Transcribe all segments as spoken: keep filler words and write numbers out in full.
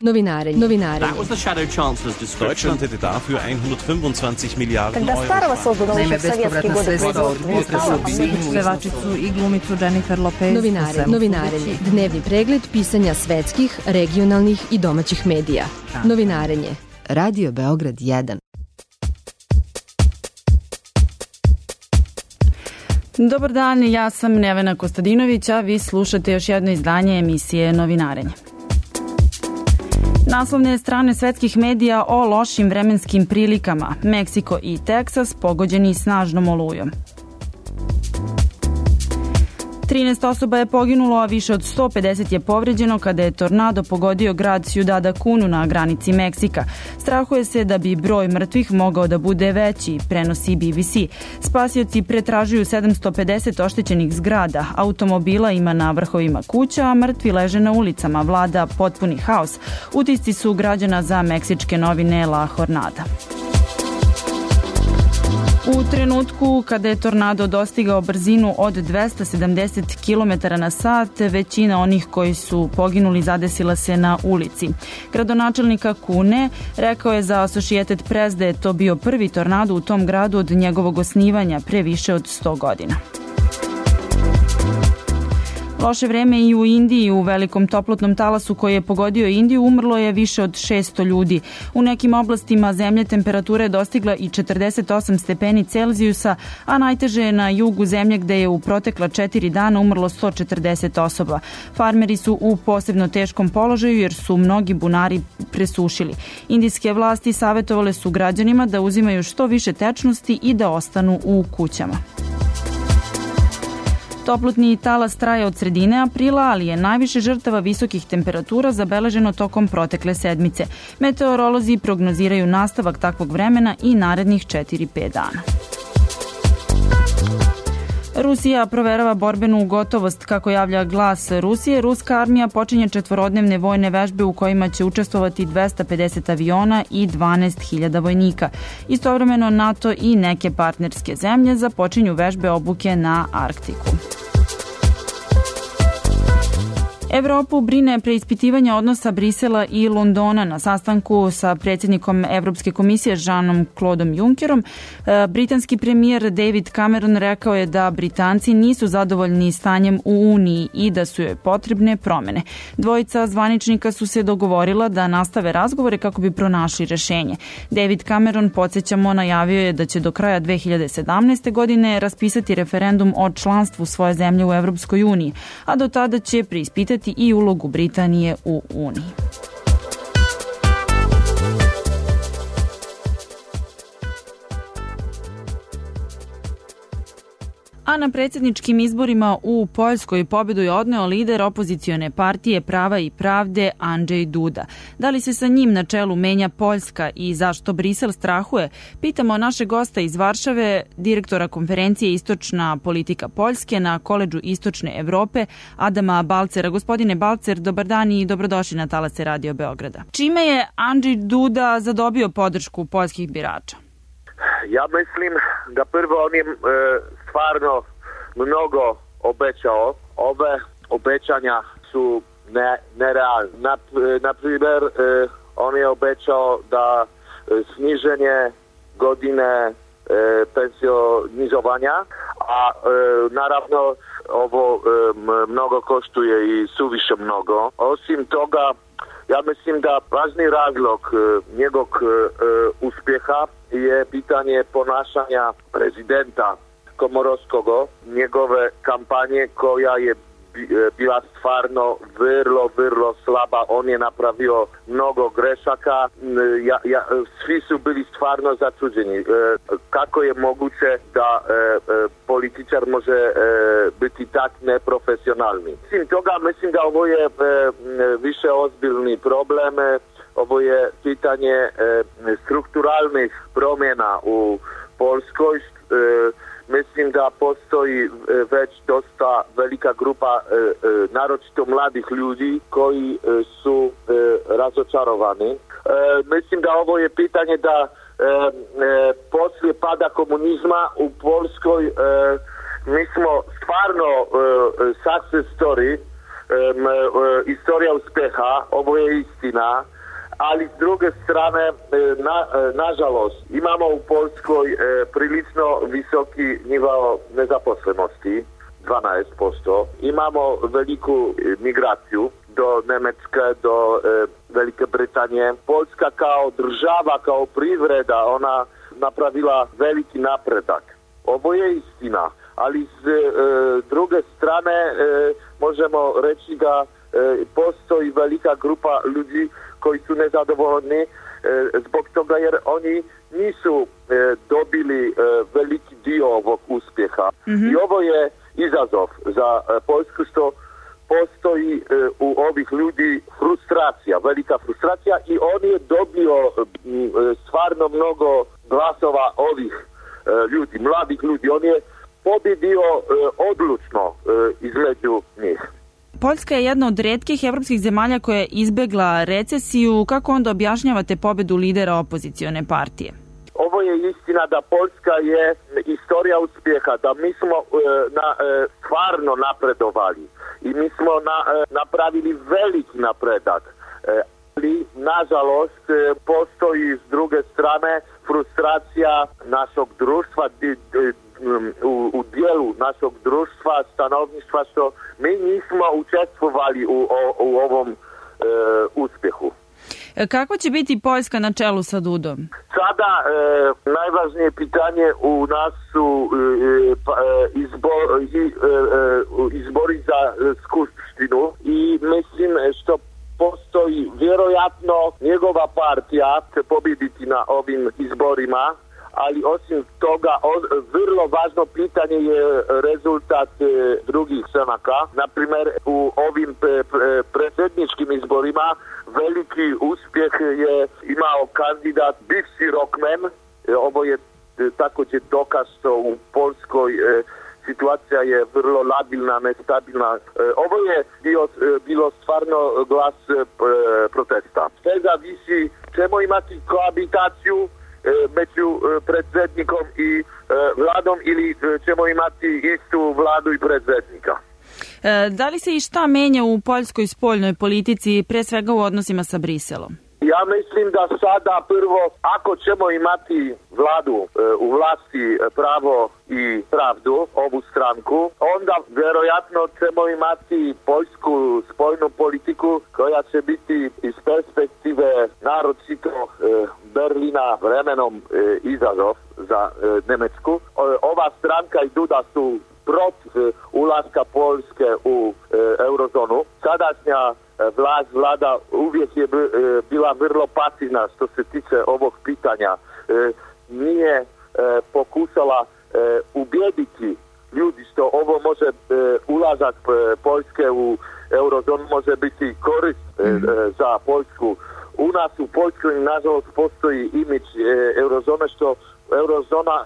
Novinarenje. Novinarenje. That was the shadow chancellor's description. Deutschland hätte dafür hundertfünfundzwanzig Milliarden Когда старого создано еще в советские годы производства. Pevačicu i glumicu Jennifer Lopez. Novinare, novinarenje. Dnevni pregled pisanja svetskih, regionalnih i domaćih medija. Novinarenje. Radio Beograd jedan. Dobar dan, ja sam Nevena Kostadinović, a vi slušate još jedno izdanje emisije Novinarenje. Naslovne strane svetskih medija o lošim vremenskim prilikama. Meksiko i Teksas pogođeni snažnom olujom. trinaest osoba je poginulo, a više od sto pedeset je povređeno kada je tornado pogodio grad Ciudad Acunu na granici Meksika. Strahuje se da bi broj mrtvih mogao da bude veći, prenosi B B C. Spasioci pretražuju sedamsto pedeset oštećenih zgrada, automobila ima na vrhovima kuća, a mrtvi leže na ulicama, vlada potpuni haos. Utisci su građana za meksičke novine La Jornada. U trenutku kada je tornado dostigao brzinu od dvesta sedamdeset kilometara na sat, većina onih koji su poginuli zadesila se na ulici. Gradonačelnik Acune rekao je za Associated Press da je to bio prvi tornado u tom gradu od njegovog osnivanja pre više od sto godina. Loše vreme i u Indiji. U velikom toplotnom talasu koji je pogodio Indiju umrlo je više od šesto ljudi. U nekim oblastima zemlje temperatura je dostigla i četrdeset osam stepeni Celzijusa, a najteže je na jugu zemlje gde je u protekla četiri dana umrlo sto četrdeset osoba. Farmeri su u posebno teškom položaju jer su mnogi bunari presušili. Indijske vlasti savetovale su građanima da uzimaju što više tečnosti i da ostanu u kućama. Toplotni talas traje od sredine aprila, ali je najviše žrtava visokih temperatura zabeleženo tokom protekle sedmice. Meteorolozi prognoziraju nastavak takvog vremena i narednih četiri do pet dana. Rusija proverava borbenu gotovost. Kako javlja Glas Rusije, ruska armija počinje četvorodnevne vojne vežbe u kojima će učestvovati dvesta pedeset aviona i dvanaest hiljada vojnika. Istovremeno NATO i neke partnerske zemlje započinju vežbe obuke na Arktiku. Evropu brine preispitivanje odnosa Brisela i Londona. Na sastanku sa predsjednikom Evropske komisije Jeanom Claudom Junckerom, britanski premijer David Cameron rekao je da Britanci nisu zadovoljni stanjem u Uniji i da su joj potrebne promene. Dvojica zvaničnika su se dogovorila da nastave razgovore kako bi pronašli rešenje. David Cameron, podsjećamo, najavio je da će do kraja dve hiljade sedamnaeste. godine raspisati referendum o članstvu svoje zemlje u Evropskoj uniji, a do tada će preispitati i ulogu Britanije u Uniji. A na predsjedničkim izborima u Poljskoj pobedu je odneo lider opozicione partije Prava i pravde Andrzej Duda. Da li se sa njim na čelu menja Poljska i zašto Brisel strahuje? Pitamo našeg gosta iz Varšave, direktora konferencije Istočna politika Poljske na Koledžu Istočne Evrope, Adama Balcera. Gospodine Balcer, dobar dan i dobrodošli na talase Radio Beograda. Čime je Andrzej Duda zadobio podršku poljskih birača? Ja mislim da prvo on je e, stvarno mnogo obećao. Ove obećanja su ne, nerealne. Na, na primjer, e, on je obećao da e, sniženje godine e, pensionizovanja, a e, naravno ovo e, mnogo koštuje i suviše mnogo. Osim toga, ja mislim da važni razlog e, njegovog e, uspjeha je pitanje ponašanja prezidenta Komorowskog, njegove kampanje koja je bila stvarno vrlo, vrlo slaba. On je napravio mnogo grešaka. Ja, ja, svi su bili stvarno začuđeni. E, kako je moguće da e, e, političar može e, biti tak neprofesionalni? Mislim toga, mislim da ovo je e, više ozbiljni problem. Ovo je pitanje e, strukturalnih promjena u Poljskoj. E, Mislim da postoji već dosta velika grupa e, e, naročito mladih ljudi koji e, su e, razočarovani. E, mislim da ovo je pitanje da e, e, poslije pada komunizma u Poljskoj e, mi smo stvarno e, success story historia uspjeha, ovo je istina, ali s druge strane, na, nažalost, imamo u Poljskoj prilično visoki nivo nezaposlenosti, dvanaest posto. Imamo veliku migraciju do Njemačke, do e, Velike Britanije. Poljska kao država, kao privreda, ona napravila veliki napredak. Ovo je istina, ali s e, druge strane e, možemo reći da e, postoji velika grupa ljudi koji su nezadovoljni e, zbog toga jer oni nisu e, dobili e, veliki dio ovog uspjeha. Mm-hmm. I ovo je izazov za e, Poljsku što postoji e, u ovih ljudi frustracija, velika frustracija i on je dobio e, stvarno mnogo glasova ovih e, ljudi, mladih ljudi. On je pobjedio e, odlučno e, između njih. Poljska je jedna od retkih evropskih zemalja koja je izbegla recesiju. Kako onda objašnjavate pobedu lidera opozicione partije? Ovo je istina da Poljska je historija uspjeha, da mi smo e, na, e, stvarno napredovali i mi smo na, e, napravili veliki napredak. E, ali, nažalost, e, postoji s druge strane frustracija našeg društva, di, di, u, u dijelu našeg društva, stanovništva, što mi nismo učestvovali u, u, u ovom e, uspjehu. Kako će biti Poljska na čelu sa Dudom? Sada e, najvažnije pitanje u nas su e, pa, e, izbor, e, e, izbori za e, skupštinu i mislim što postoji vjerojatno njegova partija će pobjediti na ovim izborima, ali osim toga o, vrlo važno pitanje je rezultat e, drugih stranaka. Naprimjer, u ovim pre, pre, predsjedničkim izborima veliki uspjeh je imao kandidat bivši rockman. E, ovo je e, također dokaz što u Poljskoj e, situacija je vrlo labilna, nestabilna. E, ovo je bio, e, bilo stvarno glas e, protesta. Sve zavisi, ćemo imati koabitaciju među predsjednikom i vladom ili ćemo imati istu vladu i predsjednika. Da li se i šta menja u poljskoj spoljnoj politici, pre svega u odnosima sa Briselom? Ja mislim da sada prvo, ako ćemo imati vladu u vlasti Pravo i pravdu, ovu stranku, onda vjerojatno ćemo imati poljsku spoljnu politiku koja će biti iz perspektive naročito Berlina vremenom izazov za Njemačku. Ova stranka i Duda su protiv ulaska Poljske u eurozonu. Sadašnja vlast, vlada uvijek je bila vrlo pasivna što se tiče ovog pitanja. Nije pokušala ubijediti ljudi što ovo može ulazak Poljske u eurozonu može biti korist za Poljsku. U nas u Poljskoj nažalost postoji imidž eurozone što eurozona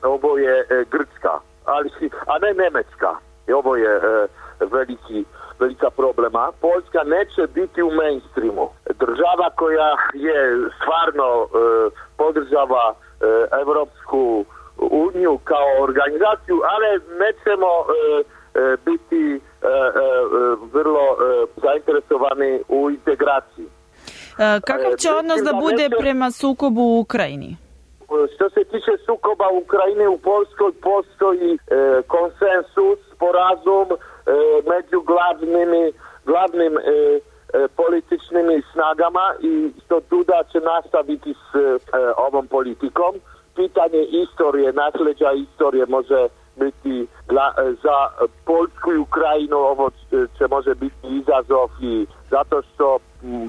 ovo je Grčka, ali, a ne Njemačka. I ovo je veliki velika problema. Poljska neće biti u mainstreamu. Država koja je stvarno e, podržava e, Evropsku uniju kao organizaciju, ali nećemo e, e, biti e, e, vrlo e, zainteresovani u integraciji. E, kakav će odnos da bude neće... prema sukobu u Ukrajini? Što se tiče sukoba u Ukrajini, u Poljskoj postoji e, konsensus, sporazum e, među glavnimi, glavnim e, e, političnim snagama i što Duda će nastaviti s e, ovom politikom. Pitanje istorije, nasljeđa istorije može biti gla, za Poljsku i Ukrajinu, ovo će može biti izazov i zato što m,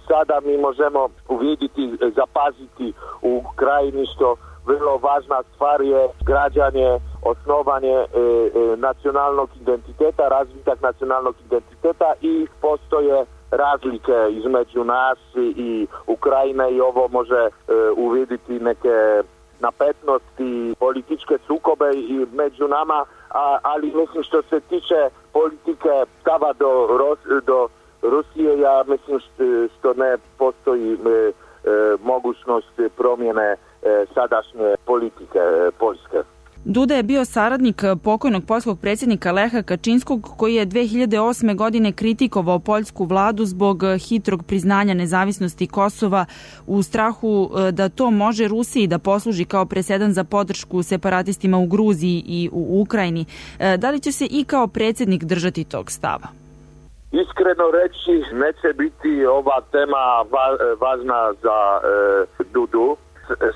sada mi možemo uvidjeti, zapaziti u Ukrajini što vrlo važna stvar je građanje, osnovanje e, e, nacionalnog identiteta, razvitak nacionalnog identiteta i postoje razlike između nas i Ukrajine i ovo može e, uvidjeti neke napetnosti, političke sukobe i među nama, a, ali mislim što se tiče politike stava do, Ros, do Rusije, ja mislim što, što ne postoji e, e, mogućnost promjene e, sadašnje politike e, Poljske. Duda je bio saradnik pokojnog poljskog predsjednika Leha Kačinskog, koji je dve hiljade osme godine kritikovao poljsku vladu zbog hitrog priznanja nezavisnosti Kosova u strahu da to može Rusiji da posluži kao presedan za podršku separatistima u Gruziji i u Ukrajini. Da li će se i kao predsjednik držati tog stava? Iskreno reći, neće biti ova tema važna za e, Dudu.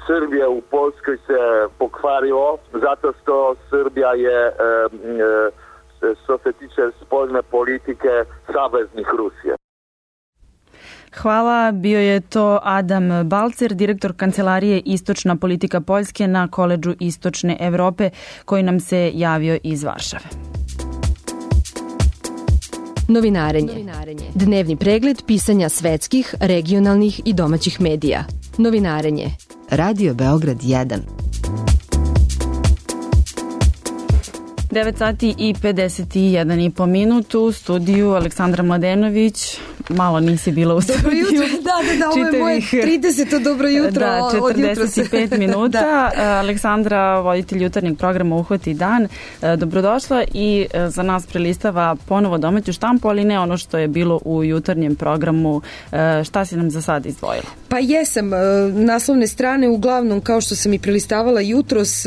Srbija u Poljskoj se pokvarilo zato što Srbija je, e, e, što se tiče spoljne politike, saveznik Rusije. Hvala, bio je to Adam Balcer, direktor Kancelarije Istočna politika Poljske na Koledžu Istočne Evrope, koji nam se javio iz Varšave. Novinarenje. Dnevni pregled pisanja svetskih, regionalnih i domaćih medija. Novinarenje. Radio Beograd jedan. devet sati i pedeset jedan i po minut u studiju Aleksandra Mladenović. Malo nisi bila u studiju. Dobro jutro, da, da, da, ovo je moje trideseto dobro jutro. Da, četrdeset pet minuta. Da. Aleksandra, voditelj jutarnjeg programa Uhvati dan, dobrodošla i za nas prelistava ponovo domaću štampu, ali ne ono što je bilo u jutarnjem programu. Šta si nam za sad izdvojila? Pa jesam, naslovne strane uglavnom, kao što sam i prelistavala jutros,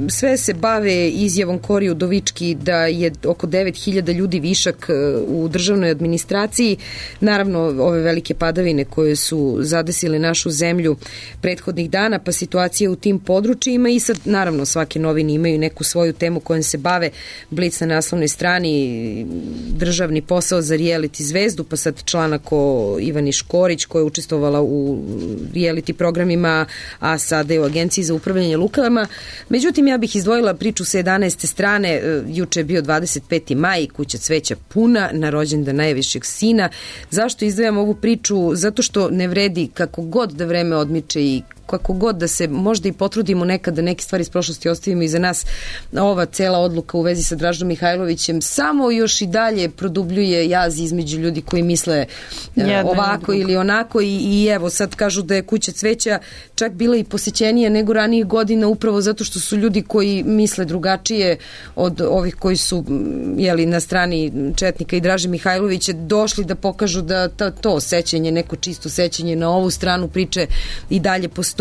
sve se bave izjavom Kori Udovički da je oko devet hiljada ljudi višak u državnoj administraciji. Naravno, ove velike padavine koje su zadesile našu zemlju prethodnih dana, pa situacija u tim područjima i sad, naravno, svake novine imaju neku svoju temu kojom se bave. Blic na naslovnoj strani, državni posao za reality zvezdu, pa sad članak o Ivani Škorić koja je učestvovala u reality programima, a sada je u Agenciji za upravljanje lukama. Međutim, ja bih izdvojila priču sa jedanaeste strane. Juče je bio dvadeset peti maj, kuća cveća puna na rođendan najvišeg sina. Zašto izdvajam ovu priču? Zato što ne vredi kako god da vreme odmiče i kako god da se možda i potrudimo nekad da neke stvari iz prošlosti ostavimo iza nas, ova cela odluka u vezi sa Dražom Mihajlovićem samo još i dalje produbljuje jaz između ljudi koji misle Jedne ovako ili onako i, i evo sad kažu da je kuća cveća čak bila i posećenija nego ranijih godina upravo zato što su ljudi koji misle drugačije od ovih koji su jeli, na strani Četnika i Draže Mihajlovića došli da pokažu da ta, to sećanje, neko čisto sećanje na ovu stranu priče i dalje postoji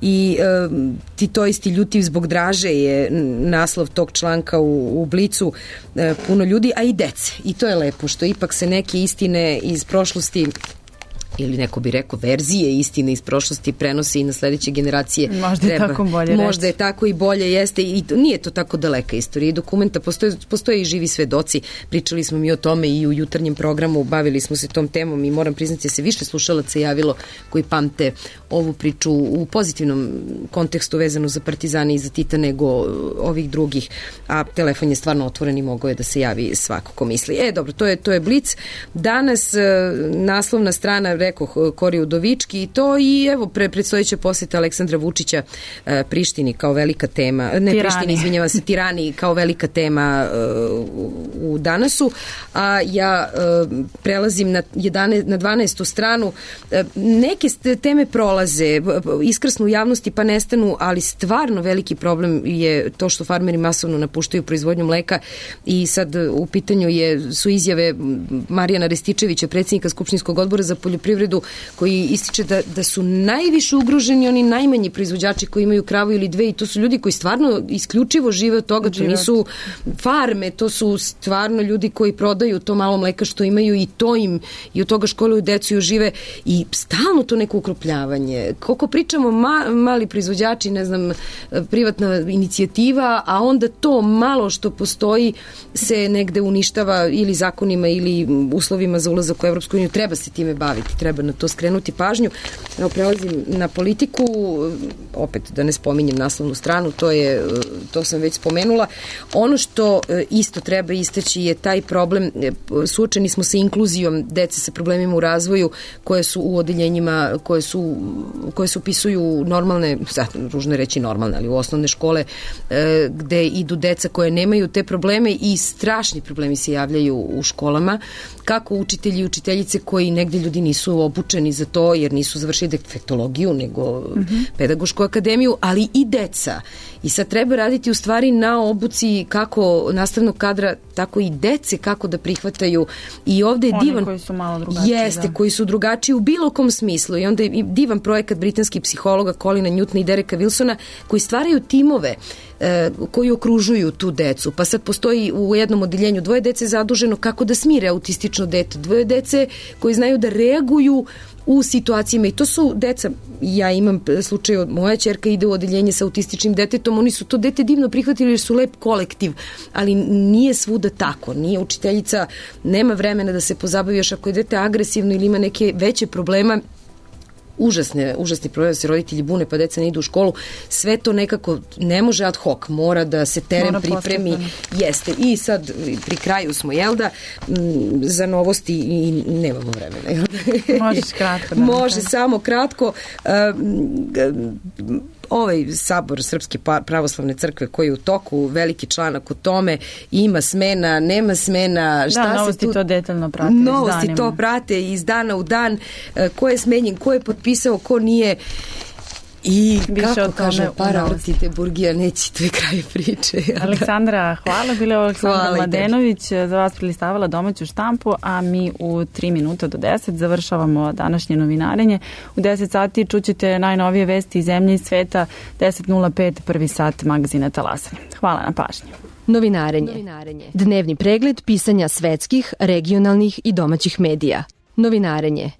i e, ti to isti ljuti zbog Draže je naslov tog članka u, u Blicu, e, puno ljudi, a i dece. I to je lepo što ipak se neke istine iz prošlosti ili neko bi rekao verzije istine iz prošlosti prenose i na sledeće generacije. Možda je tako bolje Možda reći. je tako i bolje jeste i nije to tako daleka istorija i dokumenta, postoje, postoje i živi svedoci. Pričali smo mi o tome i u jutarnjem programu, bavili smo se tom temom i moram priznati da se više slušalaca javilo koji pamte ovu priču u pozitivnom kontekstu vezano za Partizane i za Tita nego ovih drugih, a telefon je stvarno otvoren i mogao je da se javi svako ko misli. E, dobro, to je, to je Blic. Danas naslovna strana rekoh Kori Udovički i to i evo pre, predstojeća poseta Aleksandra Vučića e, Prištini kao velika tema, ne Tirani. Prištini, izvinjava se, Tirani kao velika tema e, u, u danasu, a ja e, prelazim na, jedanaest, na dvanaestu stranu. E, neke teme prolaze, iskrsnu u javnosti pa nestanu, ali stvarno veliki problem je to što farmeri masovno napuštaju proizvodnju mleka i sad u pitanju je, su izjave Marijana Rističevića, predsjednika Skupštinskog odbora za poljoprivredu, koji ističe da, da su najviše ugroženi oni najmanji proizvođači koji imaju kravu ili dve i to su ljudi koji stvarno isključivo žive od toga, to nisu farme, to su stvarno ljudi koji prodaju to malo mleka što imaju i to im i od toga školuju decu i žive i stalno to neko ukrupljavanje. Koliko pričamo ma, mali proizvođači, ne znam, privatna inicijativa, a onda to malo što postoji se negde uništava ili zakonima ili uslovima za ulazak u Evropsku uniju. Treba se time baviti, treba na to skrenuti pažnju. Evo, prelazim na politiku, opet da ne spominjem naslovnu stranu, to je, to sam već spomenula. Ono što isto treba istaći je taj problem, suočeni smo sa inkluzijom dece sa problemima u razvoju koje su u odeljenjima, koje su, koje se upisuju normalne, sad ružno reći normalne, ali u osnovne škole gde idu deca koje nemaju te probleme i strašni problemi se javljaju u školama, kako učitelji i učiteljice koji negde ljudi nisu nisu obučeni za to jer nisu završili defektologiju nego mm-hmm. pedagošku akademiju, ali i deca. I sad treba raditi u stvari na obuci kako nastavnog kadra, tako i dece kako da prihvataju. I ovde je Oni divan... koji su malo drugačiji. Jeste, da. koji su drugačiji u bilo kom smislu. I onda je divan projekat britanskih psihologa Colina Newtona i Dereka Wilsona koji stvaraju timove e, koji okružuju tu decu. Pa sad postoji u jednom odeljenju dvoje dece zaduženo kako da smire autistično dete, dvoje dece koji znaju da reaguju u situacijama i to su deca, ja imam slučaj od moja ćerka ide u odeljenje sa autističnim detetom, oni su to dete divno prihvatili jer su lep kolektiv, ali nije svuda tako, nije učiteljica, nema vremena da se pozabavi još ako je dete agresivno ili ima neke veće problema, užasne, užasni problem da se roditelji bune pa deca ne idu u školu, sve to nekako ne može ad hoc, mora da se teren mora pripremi, postupno. Jeste, i sad pri kraju smo, jel da, m, za novosti i nemamo vremena, jel da? Možeš kratko. Da Može, samo kratko. Um, ovaj sabor Srpske pravoslavne crkve koji je u toku, veliki članak o tome, ima smena, nema smena, šta da, se novosti tu... to detaljno prate. Novosti to prate iz dana u dan, ko je smenjen, ko je potpisao, ko nije. I više kako kaže, para vrtite burgija, neće, to je kraj priče. Aleksandra, hvala. Bila je Aleksandra hvala Mladenović, za vas prilistavala domaću štampu, a mi u tri minuta do deset završavamo današnje novinarenje. U deset sati čućete najnovije vesti iz zemlje i sveta, deset nula pet, prvi sat magazina Talasanje. Hvala na pažnji. Novinarenje. Novinarenje. Dnevni pregled pisanja svetskih, regionalnih i domaćih medija. Novinarenje.